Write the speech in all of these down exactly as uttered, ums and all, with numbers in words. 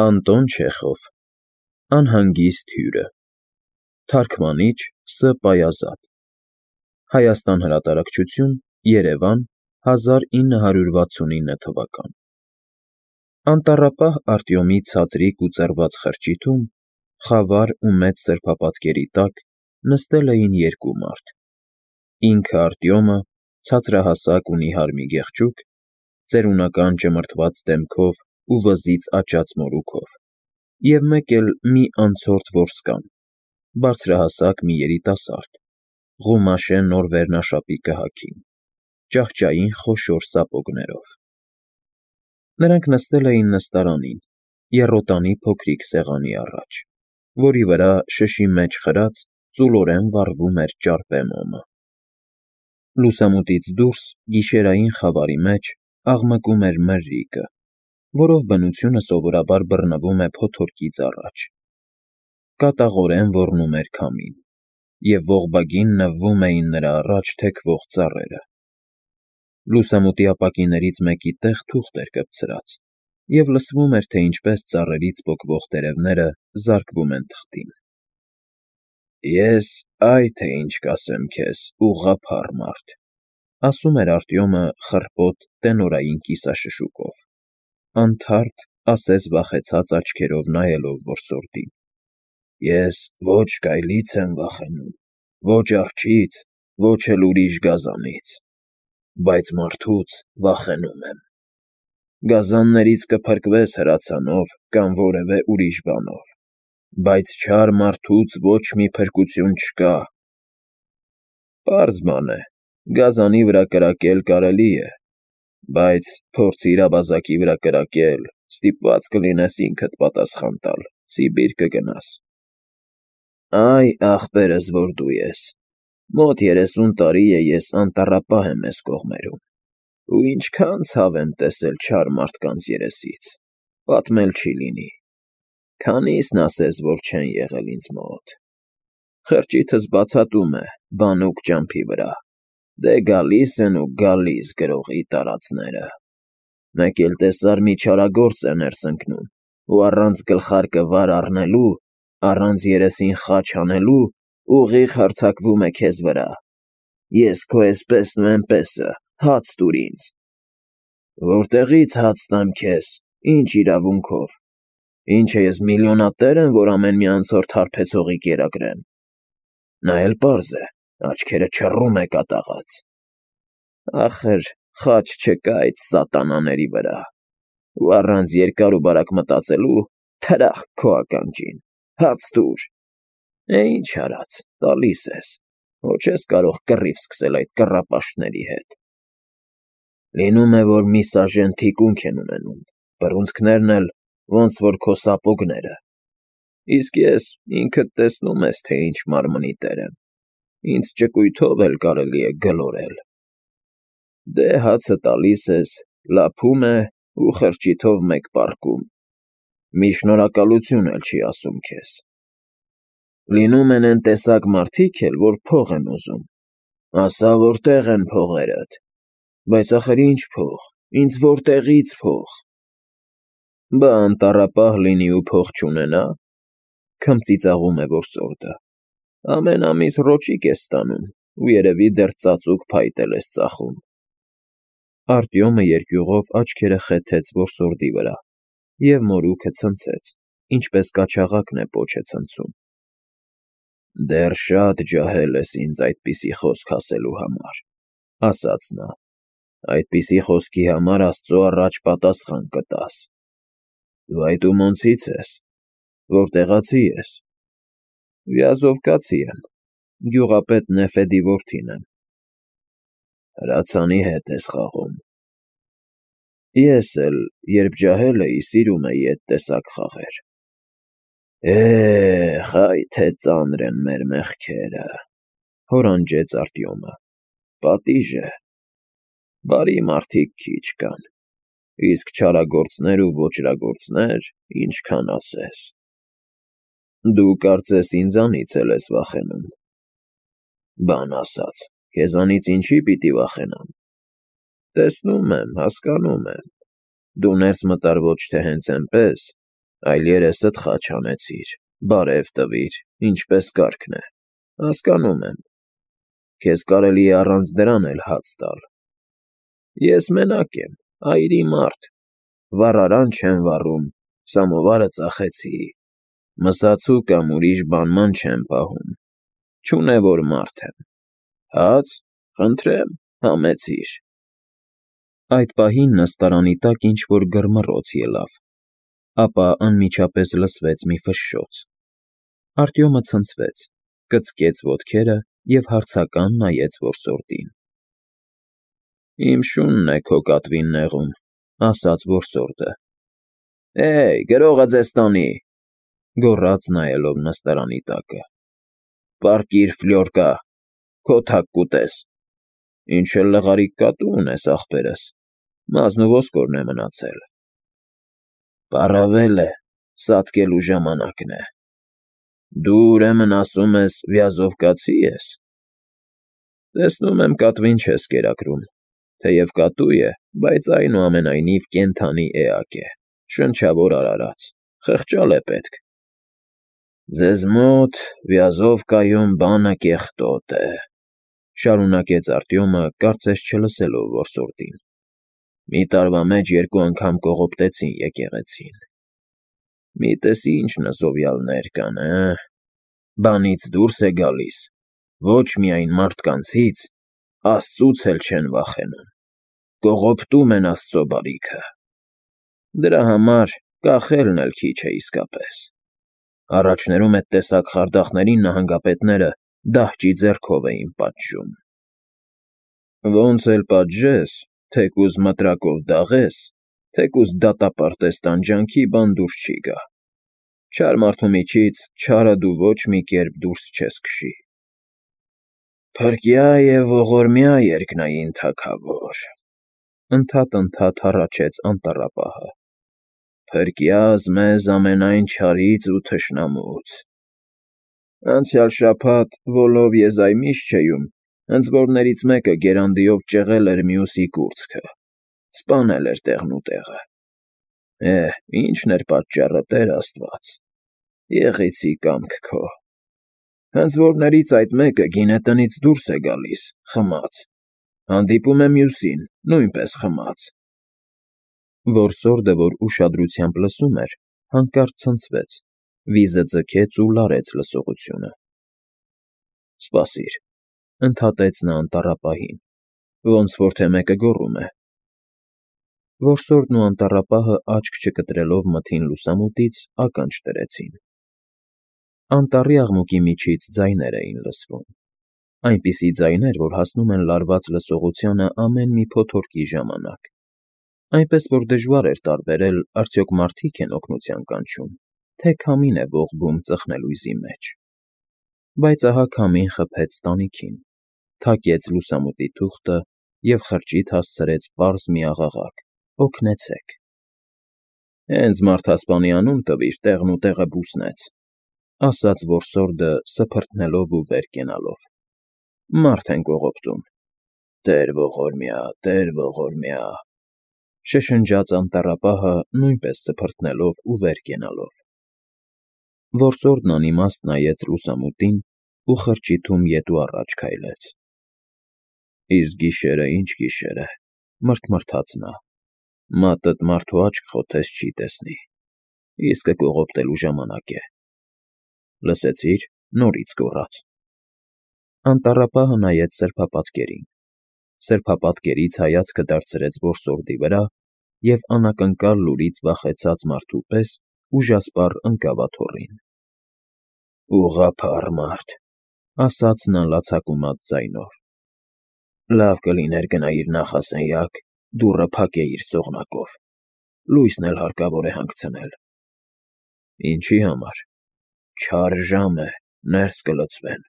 Անտոն Չեխով Անհանգիստ հյուրը Թարգմանիչ Ս. Պայազատ Հայաստան հրատարակչություն Երևան հազար ինը հարյուր վաթսունինը թվական Անտառապահ Արտյոմի ցածրիկ ու ծռված խրճիթում, խավար ու մեծ սրբապատկերի տակ նստել էին երկու մարդ. ինքը Արտյոմը, ցածրահասակ ու նիհար մի գեղջուկ, ծերունական ճմրթված դեմքով ու վզից աճած մորուքով, և մեկ էլ մի անցորդ որսկան, բարձրահասակ մի երիտասարդ, Ղումաշե նոր վերնաշապիկը հագին, ճահճային խոշոր սապոգներով. նրանք նստել էին նստարանին, եռոտանի փոքրիկ սեղանի առաջ, որի վրա շշի մեջ խրած ծուլորեն վառվում էր ճարպե մոմը. լուսամուտից դուրս գիշերային խավարի մեջ աղմկում էր մրրիկը, որով բնությունը սովորաբար բռնվում է փոթորկից առաջ, կատաղորեն ոռնում էր քամին, և ողբագին նվվում էին նրա առաջ թեքվող ծառերը. լուսամուտի ապակիներից մեկի տեղ թուղթ էր կպցրած, և լսվում էր, թե ինչպես ծառերից պոկվող տերևները զարկվում են թղթին. «Ես այ թե ինչ կասեմ քեզ, ուղղափառ մարդ,֊ ասում էր Արտյոմը խռպոտ տենորային կիսաշշուկով, անթարթ, ասես վախեցած աչքերով նայելով որսորդին,֊ ես ոչ գայլից եմ վախենում, ոչ արջից, ոչ էլ ուրիշ գազանից, բայց մարդուց վախենում եմ: Գազաններից կփրկվես հրացանով կամ որևէ ուրիշ բանով, բայց չար մարդուց ոչ մի փրկություն չկա: Պարզ բան է, գազանի վրա կրակել կարելի է, բայց փորձիր ավազակի վրա կրակել, ստիպված կլինես ինքդ պատասխան տալ, Սիբիր կգնաս: Այ, ախպերս, որ դու ես, մոտ երեսուն տարի է ես անտառապահ եմ էս կողմերում, ու ինչքան ցավ եմ տեսել չար մարդկանց երեսից, պատմել չի լինի, քանիսն ասես, որ չեն եղել ինձ մոտ: Խրճիթս բացատում է բանուկ ճամփի վրա, դե գալիս են ու գալիս գրողի տարածները: Մեկ էլ տեսար մի չարագործ է ներս ընկնում ու առանց գլխարկը վար առնելու, առանց երեսին խաչ հանելու, ուղիղ հարձակվում է քեզ վրա: Ես քո էսպեսն ու էնպեսը, հաց տուր ինձ: Որտեղի՞ց հաց տամ քեզ, ինչ իրավունքով: Ինչ է ես միլիոնատե՞ր եմ, որ ամեն մի անցորդ հարբեցողի կերակրեմ: Նա էլ պարզ է, աչքերը չռում է կատաղած: Ախր խաչ չկա այդ սատանաների վրա, ու առանց երկար ու բարակ մտածելու, թրախկ քո ականջին, հաց տուր: Է, ինչ արած, տալիս ես, ոչ ես կարող կռիվ սկսել այդ կռապաշտների հետ: Լինում է, որ մի սաժեն թիկունք են ունենում, բռունցքներն էլ ոնց որ քո սապոգները, իսկ ես, ինքդ տեսնում ես, թե ինչ մարմնի տեր եմ, ինձ ճկույթով էլ կարելի է գլորել: Դե հացը տալիս ես, լափում է ու խրճիթով մեկ պառկում, մի շնորհակալություն էլ չի ասում քեզ: Լինում են էն տեսակ մարդիկ էլ, որ փող են ուզում, ասա որտե՞ղ են փողերդ: Բայց ախր ինչ փող, ինձ որտեղի՞ց փող: Բա անտառապահ լինի ու փող չունենա՞, քմծիծաղում է որսորդը, ամեն ամիս ռոճիկ ես ստանում ու երևի դեռ ծածուկ փայտ էլ ես ծախում: Արտյոմը երկյուղով աչքերը խեթեց որսորդի վրա և մորուքը ցնցեց, ինչպես կաչաղակն է պոչ է ցնցում: Դեռ շատ ջահել ես ինձ այդպիսի խոսք ասելու համար, ասաց նա, այդպիսի խոսքի համար աստծո առաջ պատասխան կտաս: Դու այդ ումոնցի՞ց ես, որտեղացի ես: Վյազովկացի եմ, գյուղապետ Նեֆեդի որդին եմ: Հրացանի հետ ես խաղում: Ես էլ, երբ ջահել էի, սիրում էի էդ տեսակ խաղեր: Է՜խ, այ թե ծանր են մեր մեղքերը, հորանջեց Արտյոմը, պատիժ է: Բարի մարդիկ քիչ կան, իսկ չարագործներ ու ոճրագործներ ինչքան ասես: Դու կարծես ինձանից էլ ես վախենում: Բան ասած, քեզանից ինչի՞ պիտի վախենամ: Տեսնում եմ, հասկանում եմ, դու ներս մտար ոչ թե հենց էնպես, Այլ երեսդ խաչ հանեցիր, բարև տվիր, ինչպես կարգն է, հասկանում եմ, քեզ կարելի է առանց դրան էլ հաց տալ։ Ես մենակ եմ, այրի մարդ, վառարան չեմ վառում, սամովարը ծախեցի, մսացու կամ ուրիշ բանման չեմ պահում, չունևոր մարդ եմ, հաց, խնդրեմ, համեցիր։ Այդ պահին նստարանի տակ ինչ-որ գրմռոց ելավ, ապա անմիջապես լսվեց մի ֆշշոց։ Արտյոմը ցնցվեց, կծկեց ոտքերը և հարցական նայեց որսորդին։ Իմ շունն է քո կատվին նեղում, ասաց որսորդը։ Էյ, գրողը ձեզ տանի, գոռաց նայելով նստարանի տակը։ Պառկիր, Ֆլյորկա, քո թակ կուտես։ Ինչ էլ լղարիկ կատու ունես, ախպերս, մազն ու ոսկորն է մնացել։ Պառավել է, սատկելու ժամանակն է։ Դու ուրեմն ասում ես վյազով կացի՞ ես։ Տեսնում եմ կատվին չես կերակրում, թեև կատու է, բայց այնուամենայնիվ կենդանի էակ է, շնչավոր արարած, խղճալ է պետք։ Ձեզ մոտ վյազով կայուն բանը կեղտոտ է, շարունակեց Արտյոմը, կարծես չլսելով որսորդին։ Մի տարվա մեջ երկու անգամ կողոպտեցին եկեղեցին։ Մի տեսի ինչ նզովյալներ կան, հը, բանից դուրս է գալիս, ոչ միայն մարդկանցից, աստծուց էլ չեն վախենում, կողոպտում են աստծո բարիքը։ Դրա համար կախելն էլ քիչ է իսկապես։ Առաջներում էդ տեսակ խարդախներին նահանգապետները դահճի ձեռքով էին պատժում։ Ոնց էլ պատժես, թեկուզ մտրակով դաղես, թեկուզ դատապարտես տանջանքի, բան դուրս չի գա։ Չար մարդու միջից չարը դու ոչ մի կերպ դուրս չես քշի։ Փրկյա և ողորմյա երկնային թագավոր, ընդհատ-ընդհատ հառաչեց անտառապահը, փրկյաս մեզ ամենայն չարից ու թշնամուց։ Անցյալ շաբաթ Վոլով Եզայմիշչեում հնձվորներից մեկը գերանդիով ճեղել էր մյուսի կուրծքը, սպանել էր տեղնուտեղը։ Էհ, ի՞նչն էր պատճառը, Տեր աստված, եղեցի կամք քո։ Հնձվորներից այդ մեկը գինետնից դուրս է գալիս, խմած, հանդիպում է մյուսին, նույնպես խմած։ Որսորդը, որ ուշադրությամբ լսում էր, հանկարծ ցնցվեց, վիզը ձգեց ու լարեց լսողությունը։ Սպասիր, ընդհատեց նա անտառապահին, ոնց որ թե մեկը գոռում է։ Որսորդն ու անտառապահը աչք չկտրելով մթին լուսամուտից ականջ դրեցին։ Անտառի աղմուկի միջից ձայներ էին լսվում, այնպիսի ձայներ, որ հասնում են լարված լսողությանը ամեն մի փոթորկի ժամանակ, այնպես որ դժվար էր տարբերել արդյոք մարդիկ են օգնության կանչում, թե քամին է ողբում ծխնելույզի մեջ։ Բայց ահա քամին խփեց տանիքին, թակեց լուսամուտի թուղթը և խրճիթ հասցրեց պարզ մի աղաղակ. «Օգնեցե՛ք»։ Հենց մարդասպանի անուն տվիր, տեղնուտեղը բուսնեց, ասաց որսորդը սփռթնելով ու վեր կենալով։ Մարդ են կողոպտում։ Տեր ողորմյա, Տեր ողորմյա, շշնջաց անտառապահը նույնպես սփռթնելով ու վեր կենալով։ Որսորդն անիմաստ նայեց լուսամուտին ու խրճիթում ետ ու առաջ քայլեց։ Իսկ գիշերը ինչ գիշեր է, մռթմռթաց նա, մատդ մարդու աչք խոթես չի տեսնի, իսկը կողոպտելու ժամանակ է։ Լսեցի՞ր, նորից գոռաց։ Անտառապահը նայեց սրբապատկերին, սրբապատկերից հայացքը դարձրեց որսորդի վրա և անակնկալ լուրից վախեցած մարդու պես ուժասպառ ընկավ աթոռին։ Ուղղափառ մարդ, ասաց նա լացակումած ձայնով։ Լավ կլիներ գնայիր նախասենյակ, դուռը փակեիր սողնակով, լույսն էլ հարկավոր է հանգցնել։ Ինչի համար։ Չար ժամ է, ներս կլցվեն։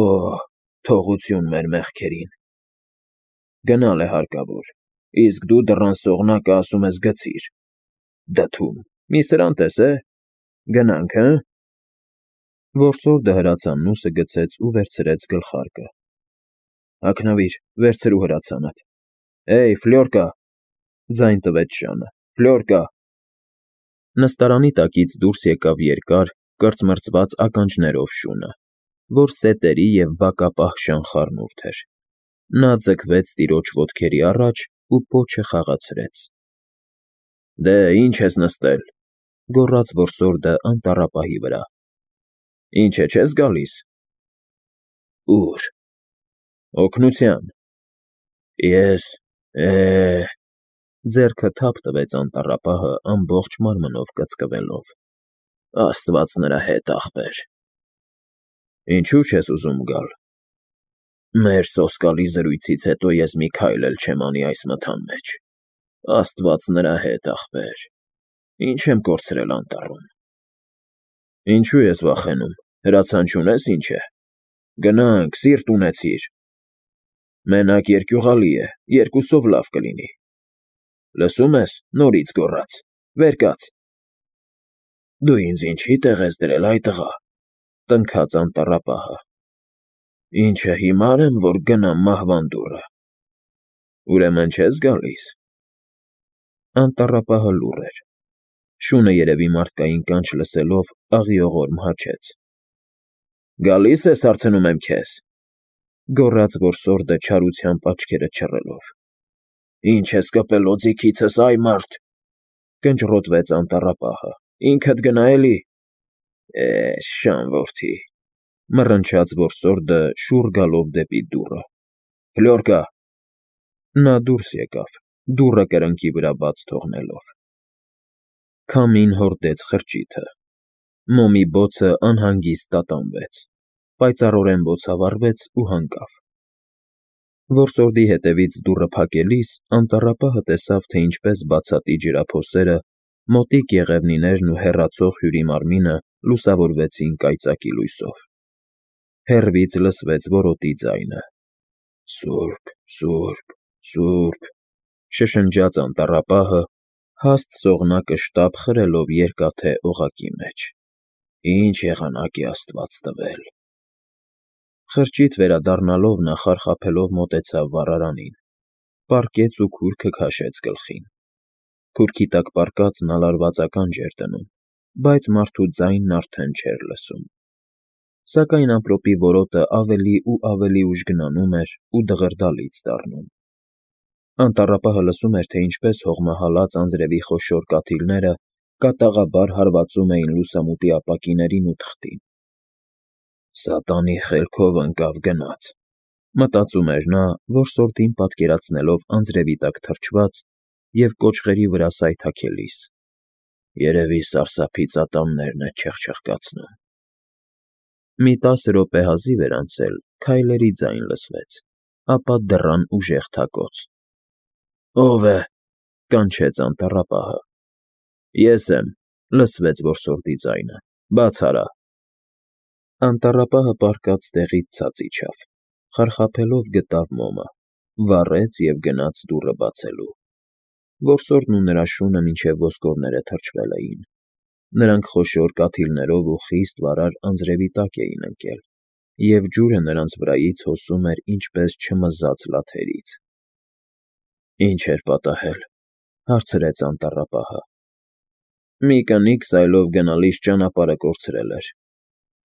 Օհ, թողություն մեր մեղքերին։ Գնալ է հարկավոր, իսկ դու դռան սողնակը ասում ես գցիր։ Դդում, մի սրան տես է։ Գնանք, հը։ Որսորդը հրացաննուսը գցեց ու վերցրեց գլխարկը։ Հագնվիր, վերցրու հրացանդ։ Էյ, Ֆլյորկա, ձայն տվեց շանը, Ֆլյորկա։ Նստարանի տակից դուրս եկավ երկար, կրծմրծված ականջներով շունը, որ սետերի և բակապահ շանխառնուրդ էր։ Նա ձգվեց տիրոջ ոտքերի առաջ ու պոչը խաղացրեց։ ֊ Դե, ի՞նչ ես նստել,֊ գոռաց որսորդը անտառապահի վրա։ ֊ Ինչ է, չե՞ս գալիս։ ֊ Ո՞ւր։ ֊ Օգնության։ ֊ Ես… է… Ձեռքը թափ տվեց անտառապահը ամբողջ մարմնով կծկվելով։ Աստված նրա հետ, ախպեր… ֊ Ինչո՞ւ չես ուզում գալ։ ֊ Մեր սոսկալի զրույցից հետո ես մի քայլ էլ չեմ անի այս մթան մեջ… Աստված նրա հետ, ախպեր… Ինչ եմ կորցրել անտառում… ֊ Ինչո՞ւ ես վախենում, հրացան չունե՞ս, ինչ է… Գնանք, սիրտ ունեցիր… Մենակ երկյուղալի է, երկուսով լավ կլինի… Լսում ես, նորից գոռաց… Վեր կաց… Դու ինձ ինչի՞ տեղ ես դրել, այ տղա,֊ տնքաց անտառապահը… Ի՞նչը, հիմա՞ր եմ, որ գնամ մահվան դուռը… Ուրեմն չե՞ս գալիս… Անտառապահը լուռ էր… Շունը երևի մարդկային կանչ լսելով, աղիողոր մհաչեց։ ֊ Գալի՞ս ես, հարցնում եմ քեզ,֊ գոռաց որսորդը չարությամբ աչքերը չռելով։ ֊ Ի՞նչ ես կպել օձիքիցս, ա՛յ մարդ,֊ կնճռոտվեց անտառապահը,֊ ինքդ գնա էլի… Է, շան որդի,֊ մռնչաց որսորդը, շուռ գալով դեպի դուռը։֊ Ֆլյորկա… Նա դուրս եկավ, դուռը կրկնակի վրա բաց թողնելով։ Քամին հորդեց խրճիթը։ Մոմի բոցը անհանգիստ տատանվեց, պայծառորեն բոցավառվեց ու հանգավ։ Որսորդի հետևից դուռը փակելիս անտառապահը տեսավ, թե ինչպես բացատի ջրափոսերը, մոտիկ եղևնիներն ու հեռացող հյուրի մարմինը լուսավորվեցին կայծակի լույսով։ Հեռվից լսվեց որոտի ձայնը. «Սուրբ… Սուրբ… Սուրբ…», շշնջաց անտառապահը, հաստ սողնակը շտապ խրելով երկաթե օղակի մեջ։ Ինչ եղանակ է աստված տվել… Խրճիթ վերադառնալով նա խարխափելով մոտեցավ վառարանին, պառկեց ու քուրքը քաշեց գլխին։ Քուրքի տակ պառկածն ալարված ականջ էր դնում, բայց մարդու ձայնն արդեն չէր լսում։ Սակայն ամպրոպի որոտը ավելի ու ավելի ուժգնանում էր ու դղրդալից դառնում։ Անտառապահը լսում էր, թե ինչպես հողմահալած անձրևի խոշոր կաթիլները կատաղաբար հարվածում էին լուսամուտի ապակիներին ու թղթին։ «Սատանի խելքով ընկավ գնաց,֊ մտածում էր նա, որսորդին պատկերացնելով անձրևի տակ թրջված և կոճղերի վրա սայթաքելիս։֊ Երևի սարսափից ատամներն է չխչխկացնում»։ Մի տասը րոպե հազիվ էր անցել, քայլերի ձայն լսվեց, ապա դռան ուժեղ թակոց։ «Ո՞վ է,֊ կանչեց անտառապահը։ «Ես եմ,֊ լսվեց որսորդի ձայնը,֊ բաց արա»։ Անտառապահը պառկած տեղից ցած իջավ, խարխափելով գտավ մոմը, վառեց և գնաց դուռը բացելու։ Որսորդն ու նրա շունը մինչև ոսկորները թրջվել էին։ Նրանք խոշոր կաթիլներով ու խիստ վարար անձրևի տակ էին ընկել, և ջուրը նրանց վրայից հոսում էր ինչպես չմզաց լաթերից։ «Ի՞նչ էր պատահել,֊ հարցրեց անտառապահը։ ֊ Մի կնիկ սայլով գնալիս ճանապարհը կորցրել էր,֊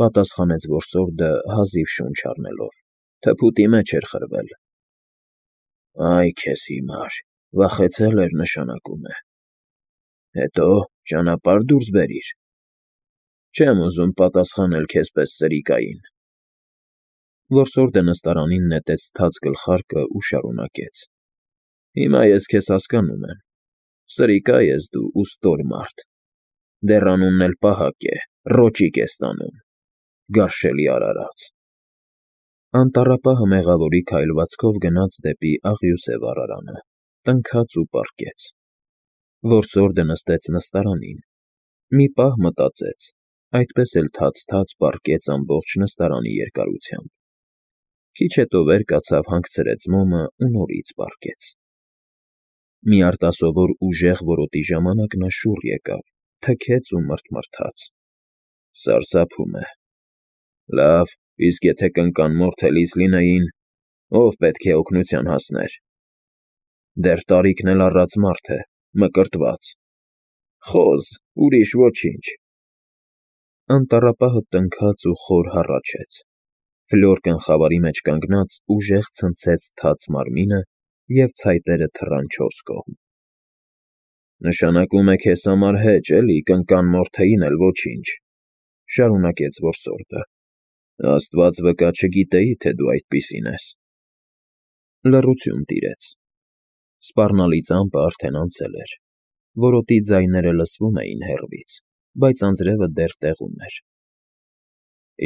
պատասխանեց որսորդը հազիվ շունչ առնելով,֊ թփուտի մեջ էր խրվել։ ֊ Այ քեզ հիմար, վախեցել էր, նշանակում է… Հետո ճանապարհ դուրս բերիր… Չեմ ուզում պատասխանել քեզ պես սրիկային… Որսորդը նստարանին նետեց թաց գլխարկը ու շարունակեց. Հիմա ես քեզ հասկանում եմ… Սրիկա ես դու ու ստոր մարդ… Դեռ անունն էլ պահակ է, ռոճիկ ես տանում… Գարշելի արարած… Անտառապահը մեղավորի քայլվածքով գնաց դեպի աղյուսե վառարանը, տնքաց ու պառկեց։ Որսորդը նստեց նստարանին, մի պահ մտածեց, այդպես էլ թաց֊թաց պառկեց ամբողջ նստարանի երկարությամբ։ Քիչ հետո վեր կացավ, հանգցրեց մոմը ու նորից պառկեց։ Մի արտասովոր ուժեղ որոտի ժամանակ նա շուռ եկավ, թքեց ու մռթմռթաց. «Սարսափում է… Լավ, իսկ եթե կնկան մորթելիս լինեին, ո՞վ պետք է օգնության հասներ… Դեռ տարիքն էլ առած մարդ է, մկրտված… Խոզ, ուրիշ ոչինչ։ Անտառապահը տնքաց ու խոր հառաչեց։ Ֆլյորկն խավարի մեջ կանգնած ուժեղ ցնցեց թաց մարմինը և ցայտերը թռան չորս կողմ։ Նշանակում է քեզ համար հեչ, էլի, կնկան Մորթեին էլ ոչինչ,֊ շարունակեց որսորդը։ Աստված վկա, չգիտեի, թե դու այդպիսին ես։ Լռություն տիրեց։ Սպառնալից ամպը արդեն անցել էր։ Որոտի ձայները լսվում էին հեռվից, բայց անձրևը դեռ տեղում էր։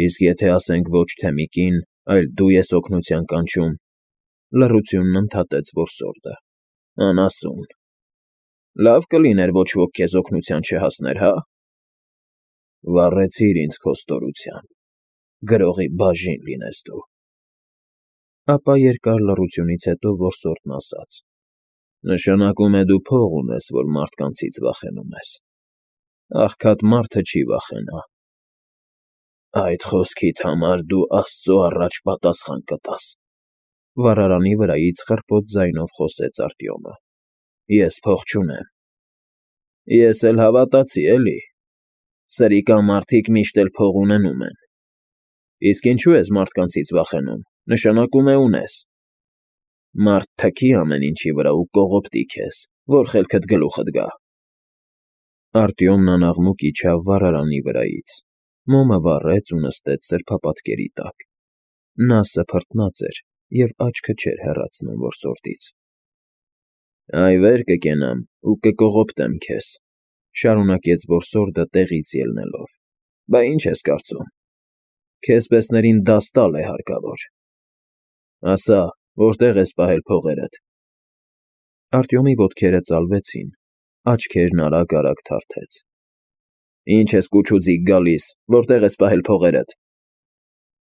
Իսկ եթե ասենք ոչ թե մի կին, այլ դու ես օգնության կանչում,֊ լռությունն ընդհատեց որսորդը,֊ անասուն… Լավ կլիներ ոչ ոք քեզ օգնության չհասներ, հա՞… Վառեցիր ինձ քո ստորությամբ, գրողի բաժին լինես դու… Ապա երկար լռությունից հետո որսորդն ասաց. Նշանակում է դու փող ունես, որ մարդկանցից վախենում ես… Աղքատ մարդը չի վախենա… Այդ խոսքիդ համար դու աստծո առաջ պատասխան կտաս,֊ վառարանի վրայից խռպոտ ձայնով խոսեց Արտյոմը,֊ ես փող չունեմ… Ես էլ հավատացի, էլի… Սրիկա մարդիկ միշտ էլ փող ունենում են… Իսկ ինչու ես մարդկանցից վախենում, նշանակում է ունես… Մարդ թքի ամեն ինչի վրա ու կողոպտի քեզ, որ խելքդ գլուխդ գա… Արտյոմն անաղմուկ իջավ վառարանի վրայից, մոմը վառեց ու նստեց սրբապատկերի տակ… Նա սփռտնած էր և աչքը չէր հեռացնում որսորդից։ Այ վեր կկենամ ու կկողոպտեմ քեզ,֊ շարունակեց որսորդը տեղից ելնելով,֊ բա ինչ ես կարծում… Քեզպեսներին դաս տալ է հարկավոր… Ասա, որտե՞ղ ես պահել փողերդ… Արտյոմի ոտքերը ծալվեցին, աչքերն արագ֊արագ թարթեց։ Ինչ ես կուչուձիգ գալիս, որտե՞ղ ես պահել փողերդ…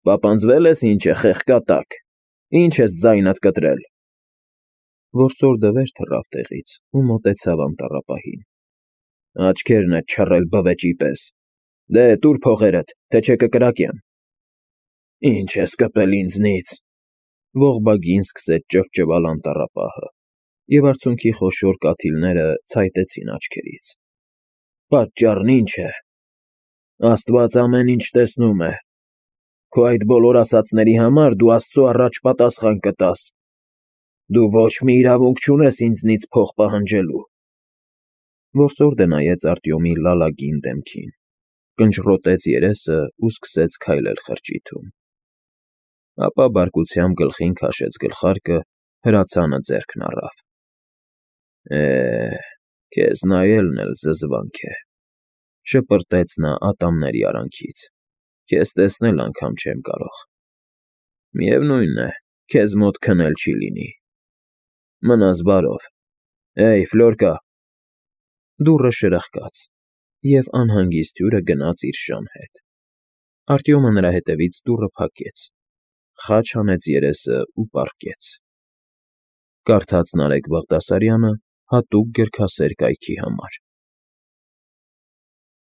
Պապանձվել ես, ինչ է, խեղկատակ… Ինչ ես ձայնդ կտրել… Որսորդը վեր թռավ տեղից ու մոտեցավ անտառապահին։ Աչքերնդ չռել բվեճի պես… Դե, տուր փողերդ, թե չէ կկրակեմ… Ինչ ես կպել ինձնից,֊ ողբագին սկսեց ճվճվալ անտառապահը, և արցունքի խոշոր կաթիլները ցայտեցին աչքերից։ Պատճառն ի՞նչ է… Աստված ամեն ինչ տեսնում է… Քո այդ բոլոր ասածների համար դու աստծո առաջ պատասխան կտաս… Դու ոչ մի իրավունք չունես ինձնից փող պահանջելու… Որսորդը նայեց Արտյոմի լալագին դեմքին, կնճռոտեց երեսն ու սկսեց քայլել խրճիթում… Ապա բարկությամբ գլխին քաշեց գլխարկը, հրացանը ձեռքն առավ։ Է, քեզ նայելն էլ զզվանք է,֊ շպրտեց նա ատամների արանքից,֊ Քեզ տեսնել անգամ չեմ կարող… Միևնույն է, քեզ մոտ քնել չի լինի… Մնաս բարով… Հեյ, Ֆլյորկա… Դուռը շրխկաց, և անհանգիստ հյուրը գնաց իր շան հետ։ Արտյոմը նրա հետևից դուռը փակեց, խաչ հանեց երեսն ու պառկեց։ Կարդաց Նարեկ Բաղդասարյանը հատուկ գրքասեր կայքի համար։